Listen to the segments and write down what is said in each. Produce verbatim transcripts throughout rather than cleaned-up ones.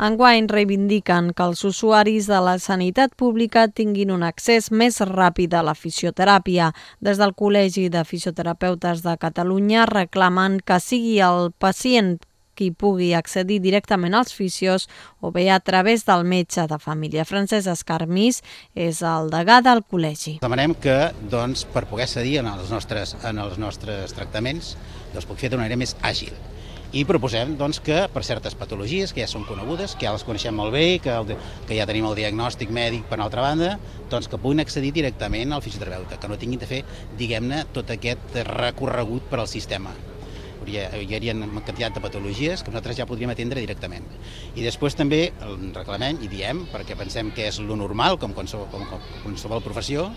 Enguany reivindiquen que els usuaris de la sanitat pública tinguin un accés més ràpid a la fisioteràpia. Des del Col·legi de Fisioterapeutes de Catalunya reclamen que sigui el pacient qui pugui accedir directament als fisios o bé a través del metge de família. Francesc Escarmís és el degà del col·legi. Demanem que, doncs, per poder accedir en els nostres, en els nostres tractaments, doncs, puc fer d'una manera més àgil. I proposem doncs, que per certes patologies que ja són conegudes, que ja les coneixem molt bé, que, el, que ja tenim el diagnòstic mèdic per altra banda, doncs que puguin accedir directament al fisioterapeuta, que no tinguin de fer, diguem-ne, tot aquest recorregut per al sistema. Hi hauria una quantitat de patologies que nosaltres ja podríem atendre directament. I després també reclamem i diem, perquè pensem que és lo normal, com qualsevol, com qualsevol professió,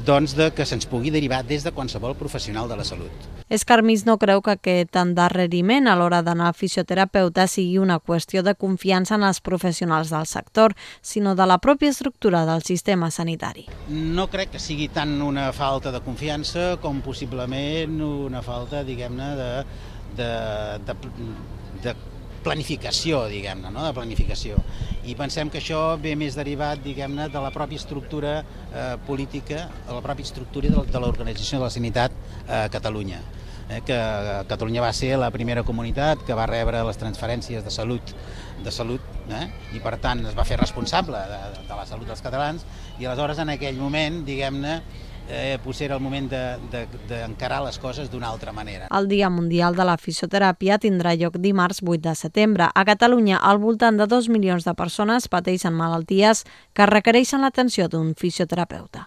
doncs de que se'ns pugui derivar des de qualsevol professional de la salut. Escarmís no creu que aquest endarreriment a l'hora d'anar al fisioterapeuta sigui una qüestió de confiança en els professionals del sector, sinó de la pròpia estructura del sistema sanitari. No crec que sigui tant una falta de confiança com possiblement una falta, diguem-ne, de, de, de, de planificació, diguem-ne, no? de planificació. I pensem que això ve més derivat, diguem-ne, de la pròpia estructura eh, política, de la pròpia estructura de, de l'Organització de la Sanitat a eh, Catalunya. Eh, que Catalunya va ser la primera comunitat que va rebre les transferències de salut, de salut eh? i per tant es va fer responsable de, de la salut dels catalans i aleshores en aquell moment, diguem-ne, Eh, potser era el moment d'encarar de, de, les coses d'una altra manera. El Dia Mundial de la Fisioteràpia tindrà lloc dimarts vuit de setembre. A Catalunya, al voltant de dos milions de persones pateixen malalties que requereixen l'atenció d'un fisioterapeuta.